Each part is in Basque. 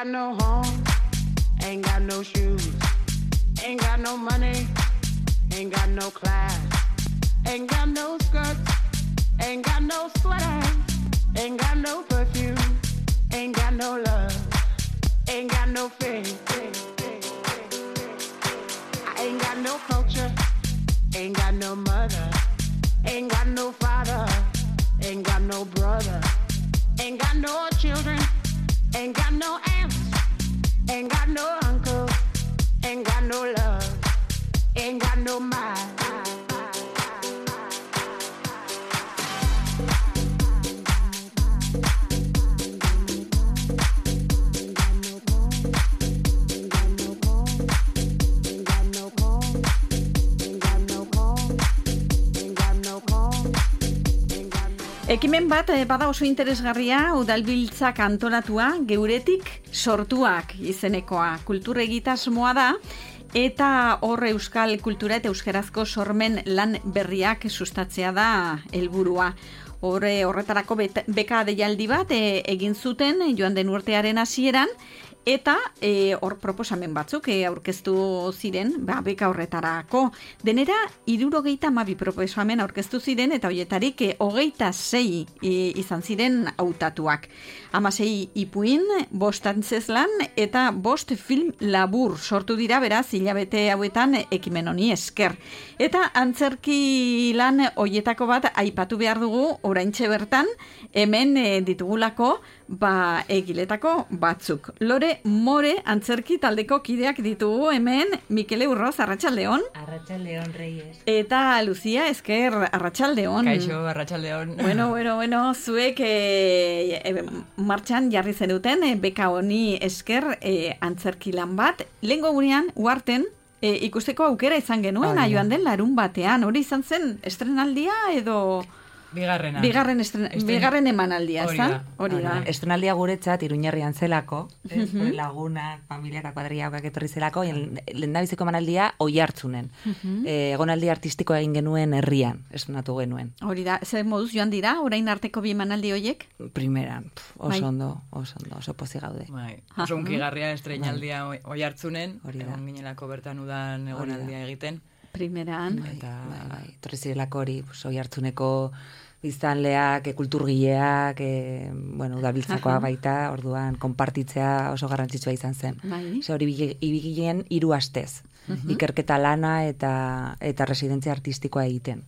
got no home, ain't got no shoes, ain't got no money, ain't got no class, ain't got no skirts, ain't got no sweater, ain't got no perfume, ain't got no love, ain't got no faith. I ain't got no culture, ain't got no mother, ain't got no father, ain't got no brother, ain't got no children, ain't got no aunts, ain't got no uncle, ain't got no love, ain't got no mind. Ekimen bat bada oso interesgarria udalbiltzak antolatua, geuretik sortuak izenekoa. Kultur egitasmoa da eta hor euskal kultura eta euskarazko sormen lan berriak sustatzea da helburua. Horretarako beka deialdi bat egin zuten joan den urtearen hasieran. Eta hor proposamen batzuk aurkeztu ziren, beka horretarako. Denera, 72 proposamen aurkeztu ziren, eta horietarik 26 izan ziren hautatuak. 16 ipuin, 5 antzezlan, eta 5 film labur sortu dira, beraz, hilabete hauetan ekimen honi esker. Eta antzerki lan horietako bat aipatu behar dugu, oraintxe bertan, hemen ditugulako, egiletako batzuk. Lore More antzerki taldeko kideak ditugu hemen, Mikele Urroz, arratsaldeon. Arratsaldeon, Reyes. Eta Lucia Esker, arratsaldeon. Kaixo, arratsaldeon. Bueno, zuek martxan jarri zenuten, beka honi esker antzerki lan bat. Lehengo gurean, uarten, ikusteko aukera izan genuen, joan den larun batean. Hori izan zen estrenaldia edo... Bigarren emanaldia, ezta? Hori da. Estrenaldia guretzat Iruñerrian zelako, lagunak, familiak, kuadriak etorri zelako, lehendabiziko emanaldia Oiartzunen. Egonaldi artistikoa egin genuen herrian, estrenatu genuen. Hori da, zer moduz joan dira, orain arteko bi emanaldi horiek? Primeran, oso ondo, oso pozik gaude. Oso unkigarria estrenaldia Oiartzunen, egon ginelako bertan udan egonaldia egiten. Primeran. Torri zirelako hori, Oiartzuneko biztanleak, kulturgileak, udalbiltzakoa baita, orduan, konpartitzea oso garrantzitsua izan zen. Hori ibigileen 3 astez. Ikerketa lana eta residentzia artistikoa egiten.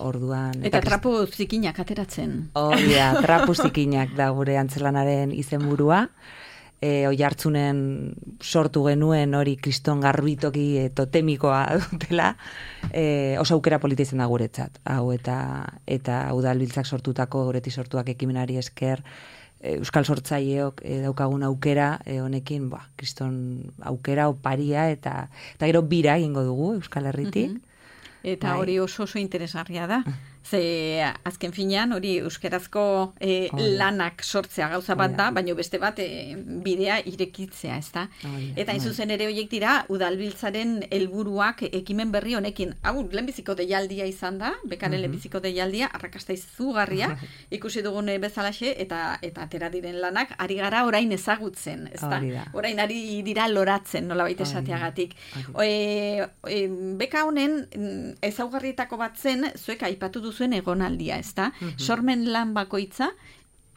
Orduan... Eta trapu zikinak ateratzen. Hori da, trapu zikinak da gure antzelanaren izenburua. Oiartzunen sortu genuen hori kriston garbitoki totemikoa dutela, oso aukera polita izan da guretzat. Hau eta udalbiltzak sortutako, guretik sortuak ekimenari esker, euskal sortzaileok daukagun aukera, honekin, kriston aukera, oparia, eta gero bira egingo dugu Euskal Herritik. Eta hori oso interesgarria da. Ze azken finean hori euskerazko lanak sortzea gauza bat da, baina beste bat bidea irekitzea, ezta? Eta zuzen ere horiek dira udalbiltzaren helburuak ekimen berri honekin. Hau, lehenbiziko deialdia izan da, bekaren lehenbiziko deialdia, arrakasta izugarria, ikusi dugun bezalaxe, eta atera diren lanak, ari gara orain ezagutzen, ezta? Orain ari dira loratzen, nolabait esateagatik. Beka honen ezaugarrietako bat zen, zuek aipatu duzuen egonaldia, ezta? Sormen lan bakoitza,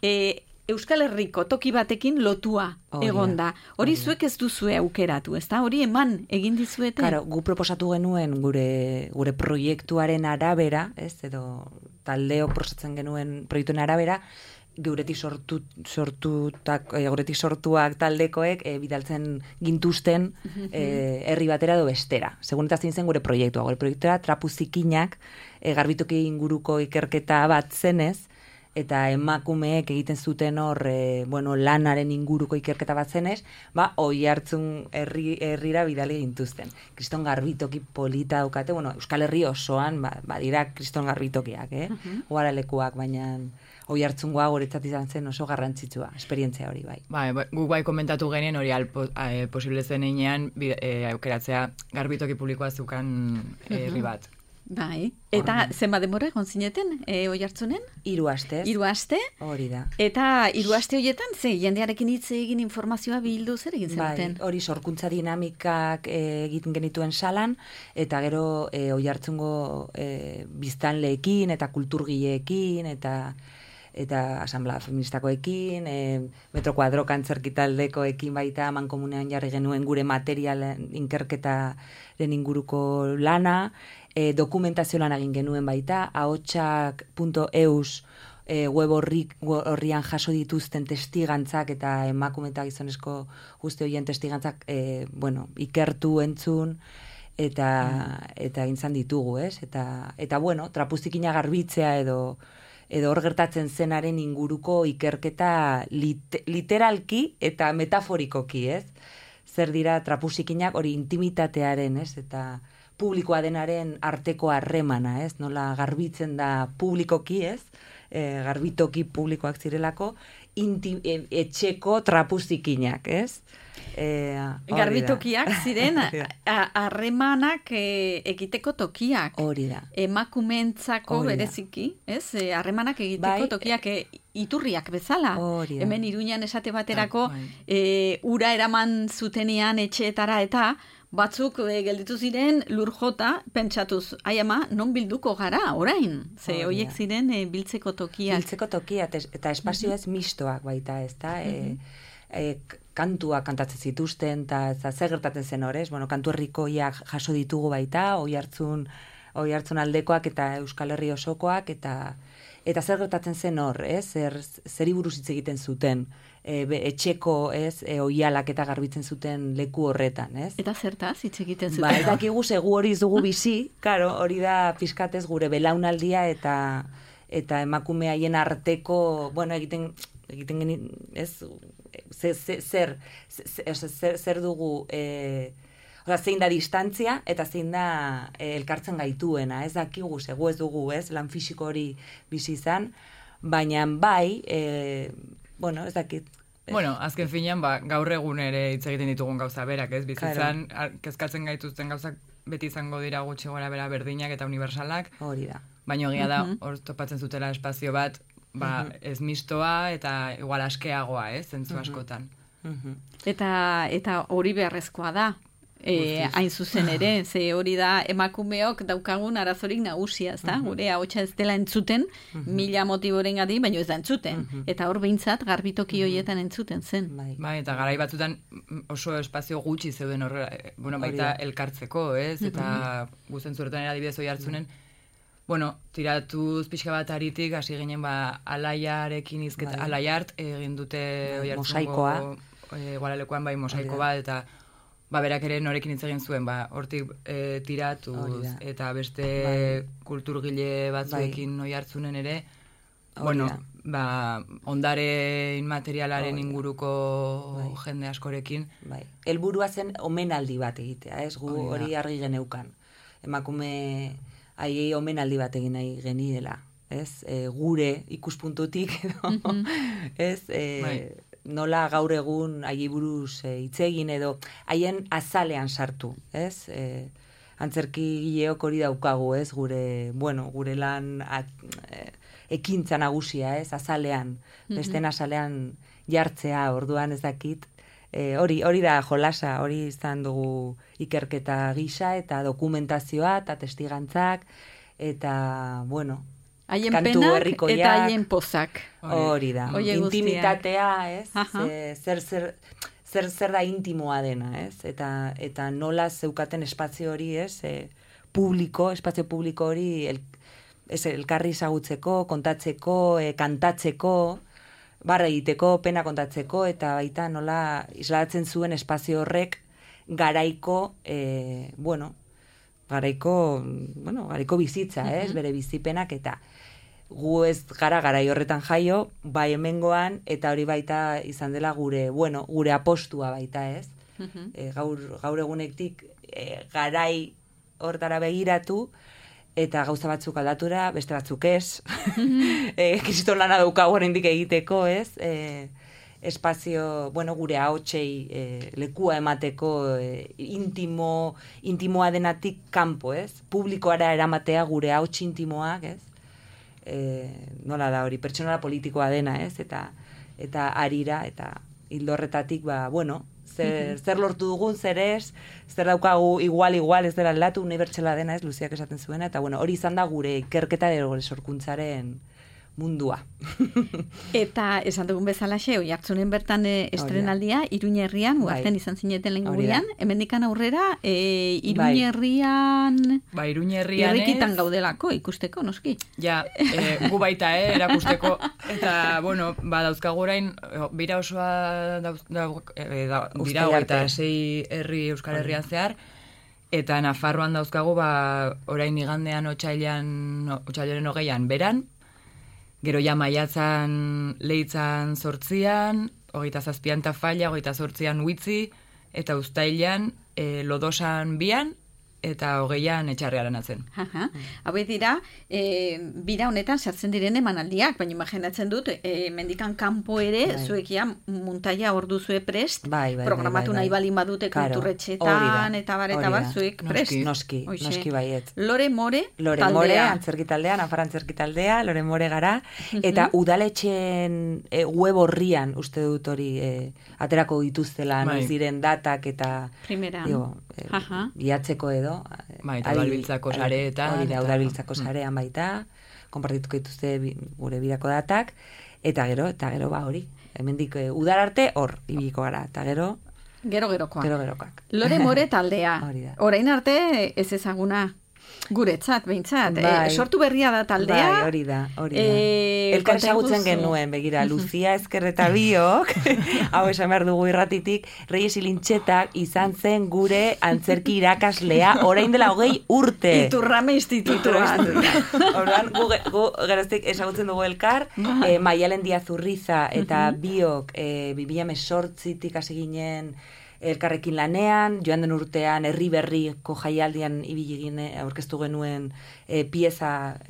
Euskal Herriko toki batekin lotua egonda. Hori zuek ez duzue aukeratu, ezta? Hori eman egin dizuete? Claro, gu proposatu genuen gure proiektuaren arabera, edo taldeok proposatzen genuen proiektuen arabera, geuretik sortuak taldekoek bidaltzen gintuzten herri batera edo bestera. Segun eta zein zen gure proiektua. Gure proiektua trapu zikinak garbitoki inguruko ikerketa bat zenez, eta emakumeek egiten zuten hor lanaren inguruko ikerketa bat zenez, Oiartzun herrira bidali gintuzten. Kriston garbitoki polita daukate, Euskal Herri osoan dira kriston garbitokiak, uharalekuak, baina Oiartzungoa guretzat izan zen oso garrantzitsua, esperientzia hori bai. Guk komentatu genien hori posible zen einean aukeratzea garbitoki publikoa zukan herri bat. Bai. Eta zenbat denbora egon zineten, Oiartzunen? 3 astez. 3 aste? Hori da. Eta 3 aste horietan, jendearekin hitz egin informazioa bildu zer egin zenuten? Bai, hori sorkuntza dinamikak egiten genituen salan, eta gero Oiartzungo biztanleekin eta kulturgileekin eta asamblea feministakoekin, Metro Kuadro antzerkitaldekoekin baita mankomunean jarri genuen gure material inkerketaren inguruko lana, dokumentazio lan egin genuen baita, ahotsak.eus web horrian jaso dituzten testigantzak eta emakume eta gizonezko guzti horien testigantzak ikertu entzun, eta intzan ditugu, ez? Eta bueno, trapuzikina garbitzea edo hor gertatzen zenaren inguruko ikerketa literalki eta metaforikoki, ez? Zer dira trapuzikinak hori intimitatearen, ez? Eta publikoa denaren arteko harremana, ez? Nola garbitzen da publikoki, ez? Garbitoki publikoak zirelako, etxeko trapuzikinak, ez? Garbitokiak ziren harremanak egiteko tokiak. Hori da. Emakumentzako bereziki, ez? Harremanak egiteko tokiak iturriak bezala. Hemen Iruñan esate baterako ura eraman zutenean etxeetara eta batzuk gelditu ziren lur jota pentsatuz, ai ama, non bilduko gara, orain? Ze hoiek ziren biltzeko tokiak. Biltzeko tokiak eta espazio ez mistoak baita, ez da? Kantuak kantatzen zituzten, eta zer gertatzen zen horrez, kantu herrikoiak jaso ditugu baita, Oiartzun aldekoak eta Euskal Herri osokoak, eta zer gertatzen zen hor, zeri buruz hitz egiten zuten, etxeko, oialak eta garbitzen zuten leku horretan, ez? Eta zertaz hitz egiten zuten? Ba, ez dakigu segu hori ez dugu bizi, karo, hori da pizkatez gure belaunaldia eta emakume haien arteko, egiten genien, ez? Zer dugu, zein da distantzia eta zein da elkartzen gaituena, ez dakigu, segu ez dugu, ez, lan fisiko hori bizi izan, baina bai, ez dakit. Azken finean, gaur egun ere hitz egiten ditugun gauza berak, ez, bizitzan, kezkatzen gaituzten gauzak beti izango dira gutxi gora bera berdinak eta universalak. Hori da. Baina egia da, hor topatzen zutela espazio bat, ez mistoa eta igual askeagoa, zentzu askotan. Eta hori beharrezkoa da, hain zuzen ere, ze hori da emakumeok daukagun arazorik nagusia, ez da? Gure ahotsa ez dela entzuten, 1000 motiborengatik, baina ez da entzuten. Eta hor behintzat garbitoki horietan entzuten zen. Bai, eta garai batzutan oso espazio gutxi zeuden baita elkartzeko, ez? Eta guzen zuretan adibidez Oiartzunen, tiratuz pixka bat aritik, hasi ginen alaiarekin izketa, alaiart, egin dute Oiartzungo Guaralekoan mosaiko bat, eta berak ere norekin hitz egin zuen, hortik tiratuz, eta beste kulturgile batzuekin Oiartzunen ere, ondare inmaterialaren inguruko jende askorekin. Helburua zen omenaldi bat egitea, ez? Gu hori argi geneukan. Emakume haiei omenaldi bat egin nahi geniela, ez? Gure ikuspuntutik, ez? Nola gaur egun haiei buruz hitz egin edo haien azalean sartu, ez? Antzerkigileok hori daukagu, ez? Gure lan ekintza nagusia, ez? Azalean, besten azalean jartzea, orduan ez dakit. Hori da jolasa, hori izan dugu ikerketa gisa eta dokumentazioa eta testigantzak eta, haien kantu penak herrikoiak, eta haien pozak. Hori da. Intimitatea, ez? Zer da intimoa dena, ez? Eta nola zeukaten espazio hori, ez? Espazio publiko hori elkarri ezagutzeko, kontatzeko, kantatzeko, barra egiteko, pena kontatzeko, eta baita nola islatzen zuen espazio horrek garaiko bizitza, ez? Bere bizipenak, eta gu ez gara garai horretan jaio, bai hemengoan, eta hori baita izan dela gure apostua baita, ez? Gaur egunektik garai hortara begiratu, eta gauza batzuk aldatura, beste batzuk ez. Kriston lana daukagu oraindik egiteko, ez? espazio, gure ahotsei lekua emateko intimoa denatik kanpo, ez? Publikoara eramatea gure ahots intimoak, ez? Nola da hori, pertsonala politikoa dena, ez? Eta arira, eta hildorretatik, zer lortu dugun, zer ez, zer daukagu igual, ez dela aldatu, unibertsala dena, ez, Luziak esaten zuena, eta hori izan da gure ikerketa edo sorkuntzaren mundua. Eta esan dugun bezalaxe, Oiartzunen bertan estrenaldia, Iruñerrian, uarten izan zineten lehen gurean, hemendikan aurrera, Iruñerrian... Iruñerrian irrikitan gaudelako, ikusteko, noski? Ja, gu baita, erakusteko, eta, dauzkagu orain, bira osoa dira eta 6 herri Euskal Herrian zehar, eta Nafarroan dauzkagu, orain igandean otsailaren 20an beran, gero ja maiatzan Leitzan 8an, 27an Tafalla, 28an Uitzi, eta uztailan Lodosan 2an, eta 20an Etxarrearen atzen. Hau dira, bira honetan sartzen diren emanaldiak, baina imaginatzen dut, mendikan kanpo ere, zuekia muntaia hor duzue prest, programatu nahi balin badute kulturretxetan, eta bar, zuek prest. Noski baiet. Lore More antzerki taldea, Nafar antzerki taldea, Lore More gara, eta udaletxeen web horrian, uste dut hori, aterako dituztela, noiz diren datak, eta bihatzeko edo, eta udalbiltzako sareetan. Hori da, udalbiltzako sarean baita, konpartituko dituzte gure bidako datak, eta gero hori, hemendik udar arte hor, ibiliko gara, eta gerokoak. Lore More taldea, orain arte ez ezaguna, guretzat, behintzat. Sortu berria da taldea. Hori da. Elkar ezagutzen genuen, begira, Luzia Ezkerreta biok, hau esan behar dugu irratitik, Reyes Ilintxetak izan zen gure antzerki irakaslea, orain dela 20 urte. Iturrame institutuan. Orduan, gu geroztik ezagutzen dugu elkar, Maialen Diaz Urriza eta biok 2018tik hasi ginen elkarrekin lanean, joan den urtean herri berriko jaialdian ibili gine aurkeztu genuen pieza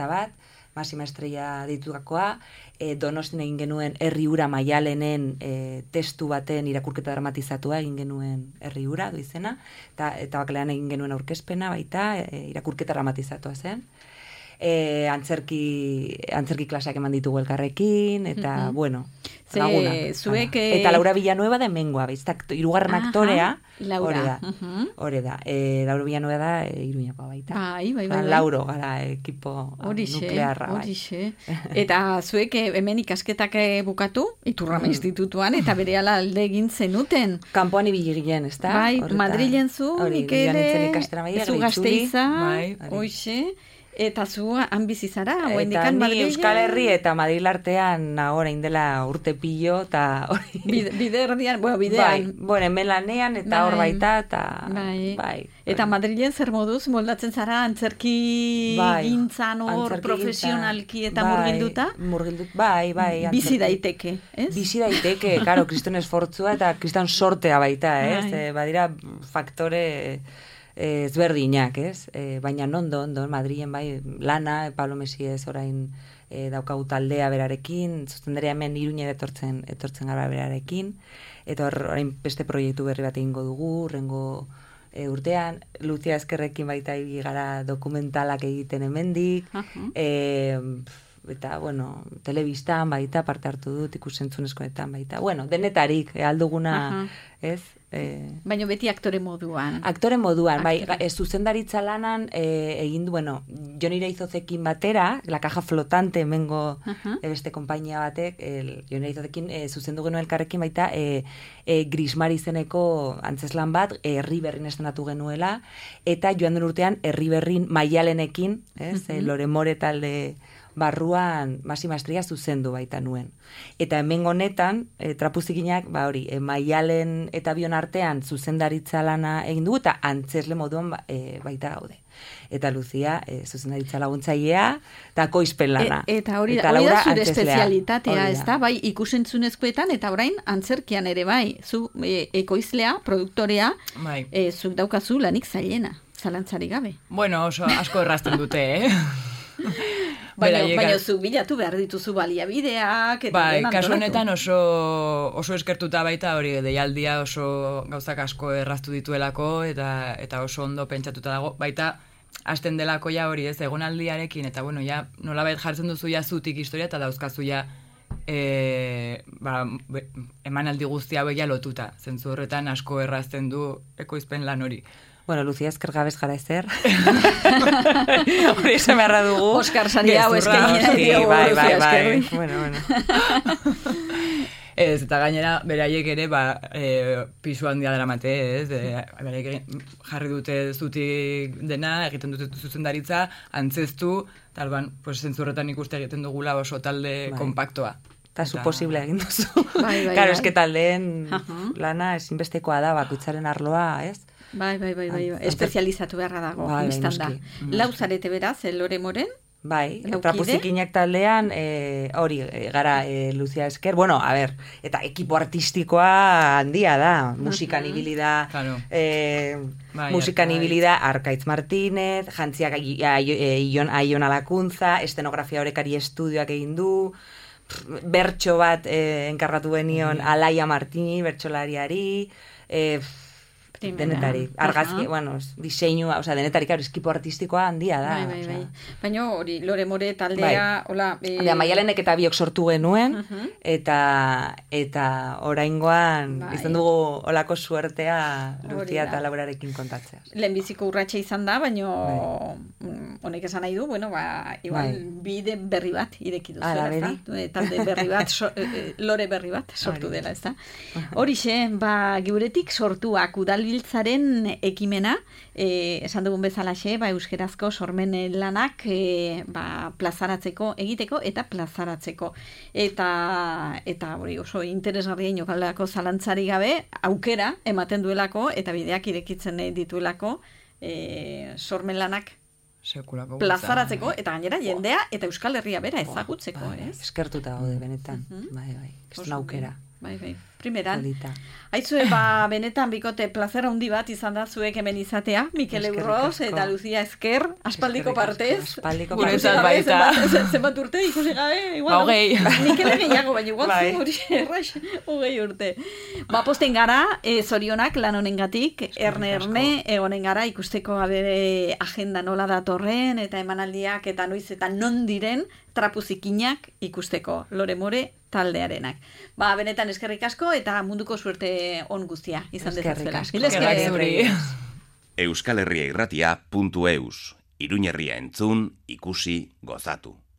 bat, Masima Estrella ditugakoa, Donostin egin genuen herri ura Maialenen testu baten irakurketa dramatizatua egin genuen herri ura du izena, eta bakalean egin genuen aurkezpena baita, irakurketa dramatizatua zen. Antzerki klaseak eman ditugu elkarrekin, eta, laguna. Eta Laura Villanueva da hemengoa, hirugarren aktorea, hori da. Laura Villanueva da Iruñakoa baita. Bai. Lauro gara ekipo nuklearra. Eta zuek hemen ikasketak bukatu, Iturrame institutuan, eta berehala alde egin zenuten. Kanpoan ibili ginen, ezta? Bai, Madrilen zu, Mikele, zu Gasteiza, hoxe. Eta zu han bizi zara, eta ni Euskal Herri eta Madril artean orain dela urte pillo, eta hori... Bidean. Hemen lanean, eta hor baita, eta... Bai. Eta Madrilen zer moduz, moldatzen zara antzerki gintzan hor profesionalki eta murgilduta? Bai. Bizi daiteke, ez? Bizi daiteke, karo, kriston esfortzua eta kriston sortea baita, ez? Badira faktore... ezberdinak, ez? Baina ondo, Madrilen bai, lana, Pablo Mesiez orain daukagu taldea berarekin, zuzendaria hemen Iruñera etortzen gara berarekin, eta orain beste proiektu berri bat egingo dugu, rengo urtean, Luzia Ezkerrekin baita gara dokumentalak egiten hemendik, eta, telebistan baita, parte hartu dut, ikusentzunezkoetan baita, denetarik, alduguna, ez? Baina beti aktore moduan. Bai, zuzendaritza lanan egin du, Jon Iraizozekin batera, La Caja Flotante hemengo beste konpainia batek, Jon Iraizozekin zuzendu genuen elkarrekin baita Grismar izeneko antzeslan bat, herri berrin estrenatu genuela, eta joan den urtean herri berrin Maialenekin, Lore More talde barruan Masima Estrella zuzendu baita nuen. Eta hemen honetan, trapuzikinak, Maialen eta bion artean zuzendaritza lana egin dugu, eta antzesle moduan baita gaude. Eta Luzia zuzendaritza laguntzailea, eta koizpen lana. Eta hori da zure espezialitatea, ez da? Bai, ikusentzunezkoetan, eta orain antzerkian ere bai, zu ekoizlea, produktorea, zuk daukazu lanik zailena, zalantzarik gabe. Oso asko errazten dute, Baina zu bilatu behar dituzu baliabideak. Bai, kasu honetan oso eskertuta baita hori deialdia oso gauzak asko erraztu dituelako eta oso ondo pentsatuta dago. Baita hasten delako ja hori ez egonaldiarekin eta bueno, ja nolabait jartzen duzu ja zutik historia eta dauzkazu ja emanaldi guzti hauek ja lotuta. Zentzu horretan asko errazten du ekoizpen lan hori. Bueno, Lucia, esker gabez gara ezer. Hori esan beharra dugu. Oskar sari hau eskein. Bai. Bueno. Ez, eta gainera, beraiek ere, pisu handia daramate, ez? Beraiek jarri dute zutik dena, egiten dute zuzendaritza, antzeztu, talban, zentzurretan ikuste egiten dugula oso talde kompaktoa. Eta zu posible egin duzu. Claro, eske taldeen lana ezinbestekoa da, bakutzaren arloa, ez? Bai. Espezializatu beharra dago, instan da. Lau zarete beraz, Lore Moren? Bai, Trapuzikinak taldean, hori, gara Lucia esker, bueno, a ver, eta ekipo artistikoa handia da, musikan ibili da, musikan ibili da Arkaitz Martínez, jantziak Aion Alakuntza, estenografia horekari estudioak egin du, bertso bat enkargatu benion Alaia Martini, bertsolariari, denetari, argazki, diseinu, denetari, claro, eskipo artistikoa handia da. Bai. Baina hori, Lore More taldea, hola... Maialenek eta biok sortu genuen, eta oraingoan izan dugu olako suertea Lucia eta Laurarekin kontatzea. Lehenbiziko urratxe izan da, baina honek esan nahi du, igual bide berri bat ireki duzuela, ez da? Talde berri bat, Lore berri bat sortu dela, ez da? Horixe, geuretik sortuak udalbiltzaren ekimena, esan dugun bezalaxe, euskerazko sormen lanak plazaratzeko, egiteko eta plazaratzeko. Eta hori oso interesgarria inokalako zalantzari gabe, aukera ematen duelako eta bideak irekitzen dituelako sormen lanak plazaratzeko eta gainera jendea eta Euskal Herria bera ezagutzeko, ez? Eskertuta gaude benetan. Bai. Kriston aukera. Bai. Primeran. Aitzue, benetan bikote plazera handi bat izan da zuek hemen izatea, Mikel Eurroz eta Lucia Esker, aspaldiko partez. Guretzat baita. Zenbat urte ikusi gabe? Hogei. Mikel gehiago, baina igual zu hori erraix, hogei urte. Posten gara, zorionak lan honengatik, erne egonen gara ikusteko bere agenda nola datorren, eta emanaldiak eta noiz eta non diren Trapuzikinak ikusteko Lore More taldearenak. Benetan eskerrik asko eta munduko suerte on guztia izan dezazuela. Euskal Herria Irratia.eus Iruñerria entzun, ikusi, gozatu.